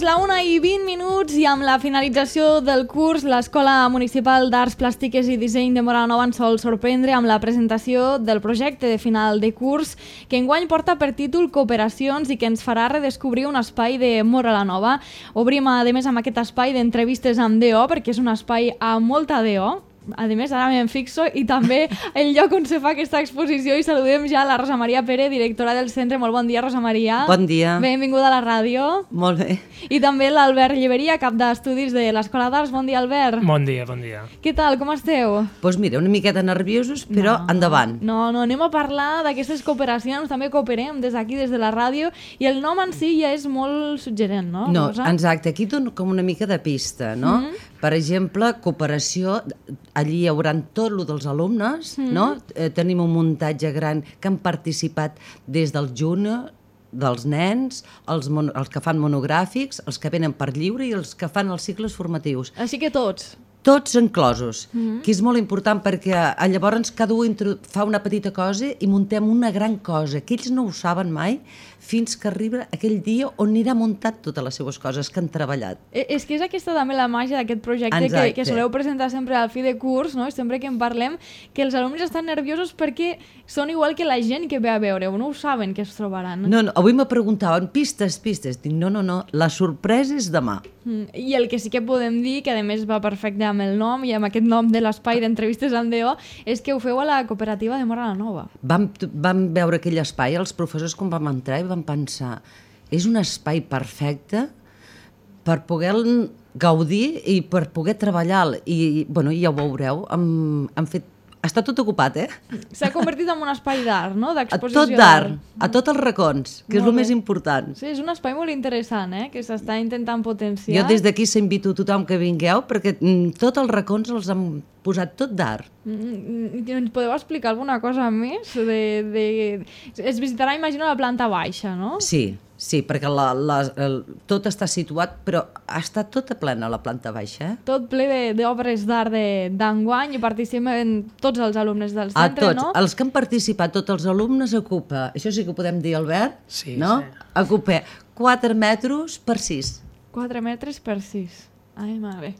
És la 1:20 i amb la finalització del curs, l'Escola Municipal d'Arts Plàstiques i Disseny de Móra la Nova ens sol sorprendre amb la presentació del projecte de final de curs que enguany porta per títol Cooperacions i que ens farà redescobrir un espai de Móra la Nova. Obrim, a més, amb aquest espai d'entrevistes amb DO, perquè és un espai amb molta DO. A més, ara me'n fixo, i també el lloc on se fa aquesta exposició, i saludem ja la Rosa Maria Pérez, directora del centre. Molt bon dia, Rosa Maria. Bon dia. Benvinguda a la ràdio. Molt bé. I també l'Albert Lliberia, cap d'estudis de l'Escola d'Arts. Bon dia, Albert. Bon dia, bon dia. Què tal, com esteu? Doncs mira, una miqueta nerviosos, però endavant. No, anem a parlar d'aquestes cooperacions, també cooperem des d'aquí, des de la ràdio, i el nom en si ja és molt suggerent, no? No, Rosa? exacte, aquí dono com una mica de pista, no? Per exemple, cooperació, allí hi haurà tot el dels alumnes, no? Tenim un muntatge gran que han participat des del júnior, dels nens, els que fan monogràfics, els que venen per lliure i els que fan els cicles formatius. Així que tots. Tots enclosos, que és molt important perquè llavors cada un fa una petita cosa i muntem una gran cosa, que ells no ho saben mai fins que arriba aquell dia on anirà muntat totes les seues coses que han treballat. És que és aquesta també la màgia d'aquest projecte que soleu presentar sempre al fi de curs, no? Sempre que en parlem, que els alumnes estan nerviosos perquè són igual que la gent que ve a veure-ho, no ho saben que es trobaran. No, avui me preguntaven pistes. Dic, no, la sorpresa és demà. I el que sí que podem dir, que a més va perfecte amb el nom i amb aquest nom de l'espai d'entrevistes amb DO, és que ho feu a la cooperativa de Móra la Nova. Vam veure aquell espai, els professors quan vam entrar i vam pensar, és un espai perfecte per poder gaudir i per poder treballar. I ja ho veureu, està tot ocupat, S'ha convertit en un espai d'art, no? D'exposició. Tot d'art, a tots els racons, que és el més important. Sí, és un espai molt interessant, que s'està intentant potenciar. Jo des d'aquí s'invito a tothom que vingueu, perquè tots els racons els hem posat tot d'art. Ens podeu explicar alguna cosa més? Es visitarà, imagino, la planta baixa, no? Sí, perquè tot està situat, però està tota plena la planta baixa. Tot ple d'obres d'art d'enguany i participen tots els alumnes del centre, no? Els que han participat, tots els alumnes, ocupa, això sí que ho podem dir, Albert, no? Ocupa 4 metres per 6. 4 metres per 6. Ai, mare.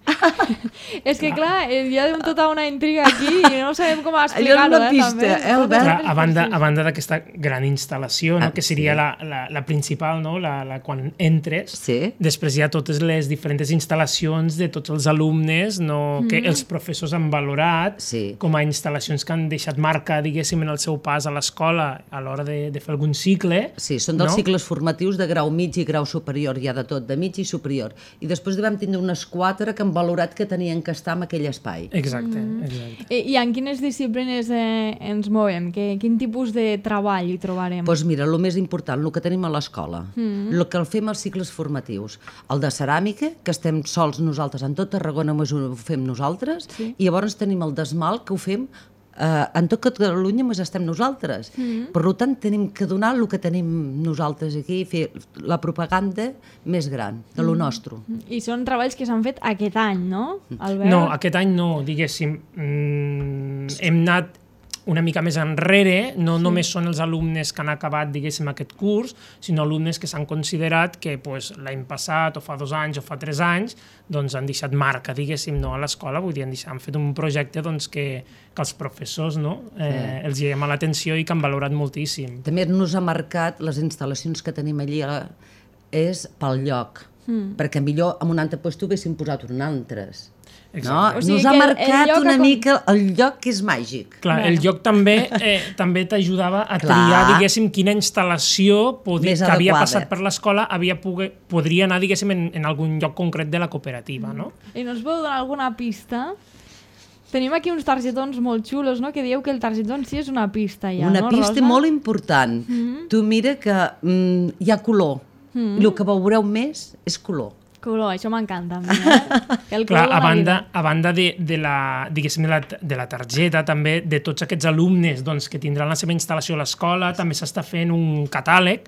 És que, clar, hi ha tota una intriga aquí i no sabem com explicar-ho, allò és una pista, Albert? A banda d'aquesta gran instal·lació, que seria la principal, quan entres, després hi ha totes les diferents instal·lacions de tots els alumnes que els professors han valorat com a instal·lacions que han deixat marca, diguéssim, en el seu pas a l'escola a l'hora de fer algun cicle. Sí, són dels cicles formatius de grau mig i grau superior, hi ha de tot, de mig i superior. I després vam tindre unes 4 que han valorat que tenien que estar en aquell espai. Exacte. I en quines disciplines ens movem? Quin tipus de treball hi trobarem? Doncs mira, el més important, el que tenim a l'escola, el que el fem als cicles formatius, el de ceràmica, que estem sols nosaltres en tot Tarragona, ho fem nosaltres, i llavors tenim el d'esmalt, que ho fem en tot Catalunya més estem nosaltres. Per tant, tenim que donar el que tenim nosaltres aquí i fer la propaganda més gran de lo nostre. I són treballs que s'han fet aquest any, no, Albert? No, aquest any no, diguéssim. Hem anat una mica més enrere, no només són els alumnes que han acabat, diguéssim, aquest curs, sinó alumnes que s'han considerat que l'any passat, o fa 2 anys, o fa 3 anys, doncs han deixat marca, diguéssim, a l'escola, vull dir, han fet un projecte que els professors els hi ha llamat l'atenció i que han valorat moltíssim. També nos ha marcat les instal·lacions que tenim allí és pel lloc, perquè millor en un altre lloc haguéssim posat un altres. No? Nos ha marcat una mica el lloc que és màgic. Clar, el lloc també t'ajudava a triar, diguéssim, quina instal·lació que havia passat per l'escola podria anar, diguéssim, en algun lloc concret de la cooperativa, no? I no us podeu donar alguna pista? Tenim aquí uns targetons molt xulos, no? Que dieu que el targetó en si és una pista ja, una pista molt important. Tu mira que hi ha color. El que veureu més és color. Color, això m'encanta. Clar, a banda de la targeta, també de tots aquests alumnes que tindran la seva instal·lació a l'escola, també s'està fent un catàleg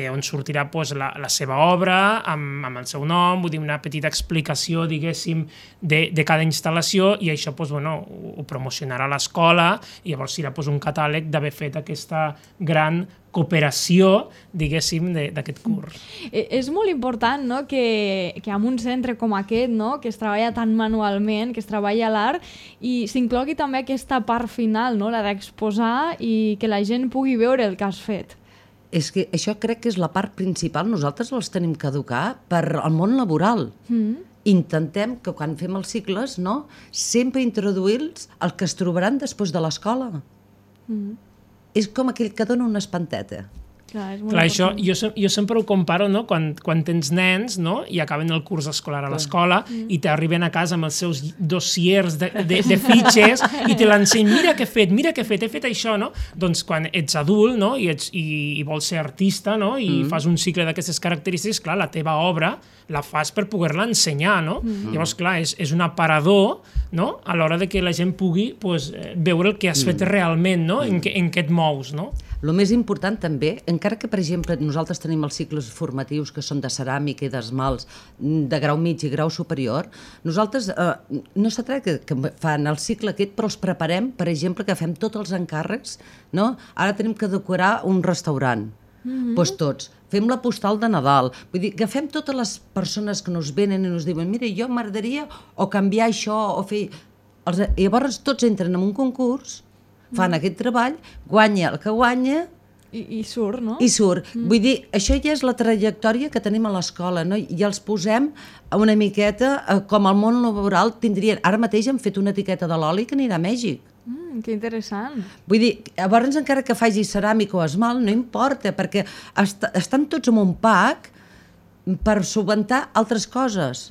on sortirà la seva obra amb el seu nom, vull dir, una petita explicació, diguéssim, de cada instal·lació, i això ho promocionarà l'escola, i llavors serà un catàleg d'haver fet aquesta gran cooperació, diguéssim, d'aquest curs. És molt important, no?, que en un centre com aquest, no?, que es treballa tan manualment, que es treballa l'art, i s'inclogui també aquesta part final, no?, la d'exposar i que la gent pugui veure el que has fet. És que això crec que és la part principal. Nosaltres els tenim que educar per al món laboral. Intentem que quan fem els cicles, no, sempre introduir-los el que es trobaran després de l'escola. És com aquell que dona una espanteta. Clar, és molt Clar, això important. jo sempre ho comparo, no? Quan tens nens, no? I acaben el curs escolar a l'escola i t'arriben a casa amb els seus dossiers de fitxes i te l'ensenyen, mira què he fet, he fet això, no? Doncs quan ets adult, no? I vols ser artista, no? I fas un cicle d'aquestes característiques, clar, la teva obra la fas per poder-la ensenyar, no? Llavors, clar, és un aparador, no? A l'hora de que la gent pugui veure el que has fet realment, no? En què et mous, no? El més important també, encara que, per exemple, nosaltres tenim els cicles formatius que són de ceràmica i d'esmalts de grau mig i grau superior, nosaltres no se tracta que fan el cicle aquest, però els preparem, per exemple, que fem tots els encàrrecs, no? Ara tenim que decorar un restaurant. Doncs tots. Fem la postal de Nadal. Vull dir, agafem totes les persones que nos venen i nos diuen, mira, jo m'agradaria o canviar això o fer... I llavors tots entren en un concurs, fan aquest treball, guanya el que guanya... I surt, no? I surt. Vull dir, això ja és la trajectòria que tenim a l'escola, no? I els posem una miqueta com al món laboral tindrien... Ara mateix hem fet una etiqueta de l'oli que anirà a Mèxic. Que interessant. Vull dir, llavors encara que faci ceràmica o esmalt, no importa, perquè estan tots en un pack per subventar altres coses.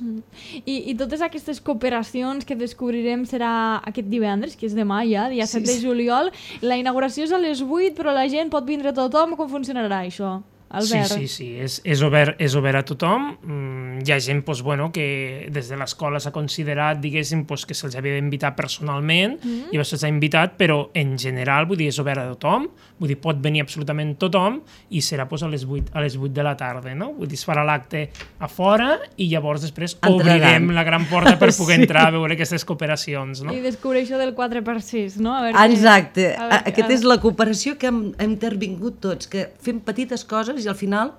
I totes aquestes cooperacions que descobrirem serà aquest divendres, que és demà ja, dia 7 de juliol. La inauguració és a les 8, però la gent pot vindre tothom. Com funcionarà això, Albert? Sí, és obert a tothom. Hi ha gent que des de l'escola s'ha considerat, diguéssim, que se'ls havia d'invitar personalment, i llavors se'ls ha invitat, però en general, vull dir, és obert a tothom, vull dir, pot venir absolutament tothom, i serà a les 8 de la tarda, no? Vull dir, es farà l'acte a fora i llavors després obrirem la gran porta per poder entrar a veure aquestes cooperacions, no? I descobrir això del 4x6, no? Exacte. Aquesta és la cooperació que hem intervingut tots, que fem petites coses i al final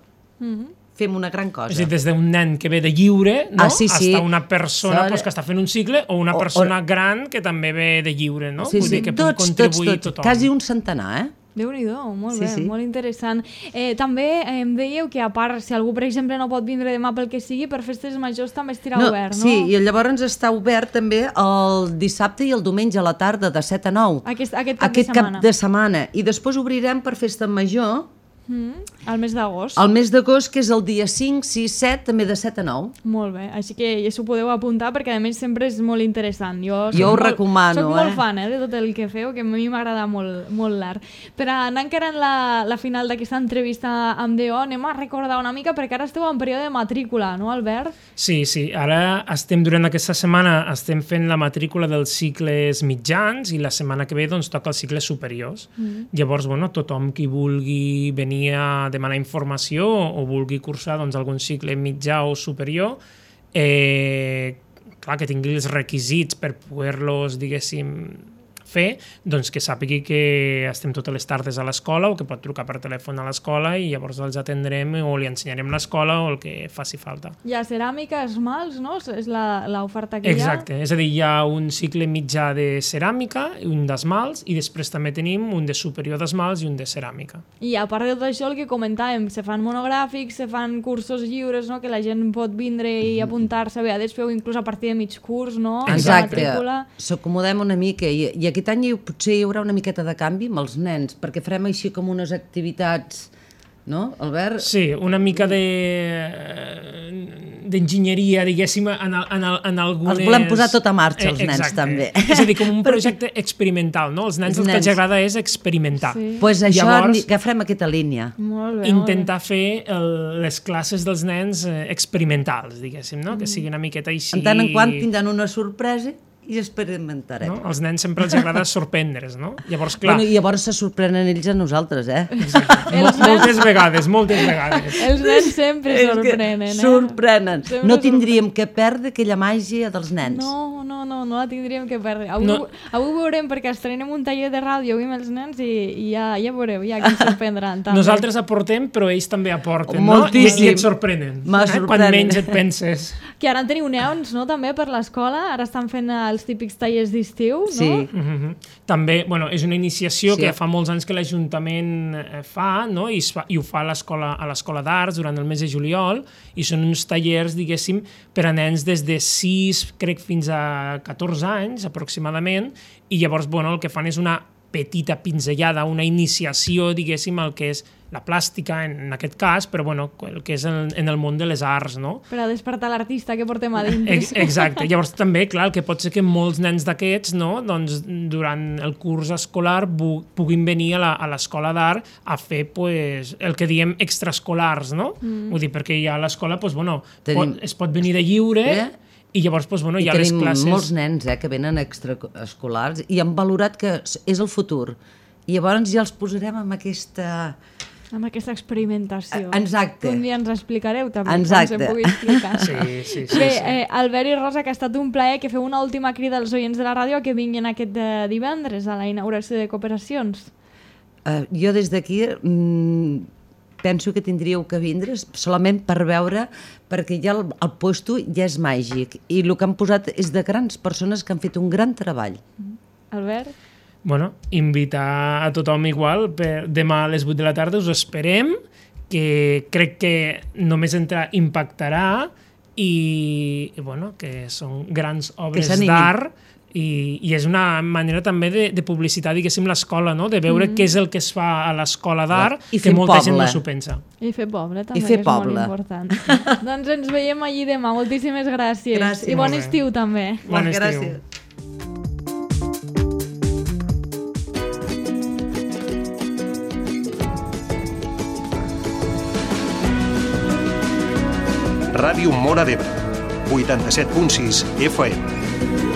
fem una gran cosa. És a dir, des d'un nen que ve de lliure, no? Sí. Hasta una persona que està fent un cicle, o una persona gran que també ve de lliure, no? Sí, Vull dir que pugui contribuir tothom. Quasi un centenar, Déu-n'hi-do, molt bé, molt interessant. També em dèieu que, a part, si algú, per exemple, no pot vindre demà pel que sigui, per festes majors també estarà obert, no? Sí, i llavors està obert també el dissabte i el diumenge a la tarda, de 7 a 9. Aquest cap de setmana. I després obrirem per festa major, al mes d'agost. El mes d'agost, que és el dia 5, 6, 7, també de 7 a 9. Molt bé, així que ja s'ho podeu apuntar perquè a més sempre és molt interessant. Jo ho recomano. Soc molt fan de tot el que feu, que a mi m'agrada molt l'art. Per anar encara en la final d'aquesta entrevista amb DO, anem a recordar una mica perquè ara esteu en període de matrícula, no, Albert? Sí, ara durant aquesta setmana estem fent la matrícula dels cicles mitjans i la setmana que ve doncs toca els cicles superiors. Llavors, tothom qui vulgui venir a demanar informació o vulgui cursar algun cicle mitjà o superior, clar, que tingui els requisits per poder-los, diguéssim, fer, doncs que sàpigui que estem totes les tardes a l'escola o que pot trucar per telèfon a l'escola i llavors els atendrem o li ensenyarem l'escola o el que faci falta. Hi ha ceràmica, esmalts, no? És l'oferta que hi ha? Exacte, és a dir, hi ha un cicle mitjà de ceràmica, un d'esmalts i després també tenim un de superior d'esmalts i un de ceràmica. I a part de tot això, el que comentàvem, se fan monogràfics, se fan cursos lliures, no? Que la gent pot vindre i apuntar-se, a vegades feu inclús a partir de mig curs, no? Exacte, s'acomodem una mica i aquest any potser hi haurà una miqueta de canvi amb els nens, perquè farem així com unes activitats, no, Albert? Sí, una mica d'enginyeria, diguéssim, en algunes... Els volem posar tot a marxa, els nens, també. És a dir, com un projecte experimental, no? Els nens el que els agrada és experimentar. Doncs això, agafem aquesta línia. Intentar fer les classes dels nens experimentals, diguéssim, no? Que sigui una miqueta així... En tant en quant tindran una sorpresa i experimentarem. No? Els nens sempre els agrada sorprendre's, no? Llavors, clar... Bueno, i llavors se sorprenen ells a nosaltres, eh? Moltes vegades. Els nens sempre sorprenen, Sorprenen. No tindríem que perdre aquella màgia dels nens. No la tindríem que perdre. Avui veurem, perquè estrenem un taller de ràdio avui amb els nens i ja veureu, ja que ens sorprendran. També. Nosaltres aportem, però ells també aporten, moltíssim. No? I et sorprenen. Quan menys et penses. Que ara en teniu neons, no?, també per l'escola. Ara estan fent els típics tallers d'estiu, no? Sí. També, bueno, és una iniciació que fa molts anys que l'Ajuntament fa, no? I ho fa a l'Escola d'Arts durant el mes de juliol, i són uns tallers, diguéssim, per a nens des de 6, crec, fins a 14 anys, aproximadament, i llavors, bueno, el que fan és una petita pinzellada, una iniciació, diguéssim, al que és la plàstica, en aquest cas, però bueno, el que és en el món de les arts, no? Per a despertar l'artista que portem a dins. Exacte. Llavors també, clar, el que pot ser que molts nens d'aquests, no?, doncs, durant el curs escolar puguin venir a l'escola d'art a fer, pues, el que diem extraescolars, no? Vull dir, perquè ja a l'escola, pues, bueno, es pot venir de lliure... I llavors, doncs, bueno, hi ha les classes... I tenim molts nens que venen extraescolars i han valorat que és el futur. I llavors ja els posarem amb aquesta... Amb aquesta experimentació. Exacte. Un dia ens explicareu també, exacte. quan se pugui explicar. Sí. Bé, Albert i Rosa, que ha estat un plaer, que feu una última crida als oients de la ràdio que vinguin aquest divendres a la inauguració de Cooperacions. Jo des d'aquí... penso que tindríeu que vindre solament per veure, perquè ja el puesto ja és màgic i el que han posat és de grans persones que han fet un gran treball. Albert? Bueno, invitar a tothom igual, demà a les 8 de la tarda us esperem, que crec que només impactarà i bueno, que són grans obres d'art i és una manera també de publicitar, diguéssim, l'escola, no? De veure què és el que es fa a l'escola d'art, que molta gent no s'ho pensa. I fer poble també, que és molt important. Doncs ens veiem allí demà. Moltíssimes gràcies. Gràcies. I bon estiu també. Bon estiu. Gràcies. Ràdio Móra d'Ebre, 87.6 FM.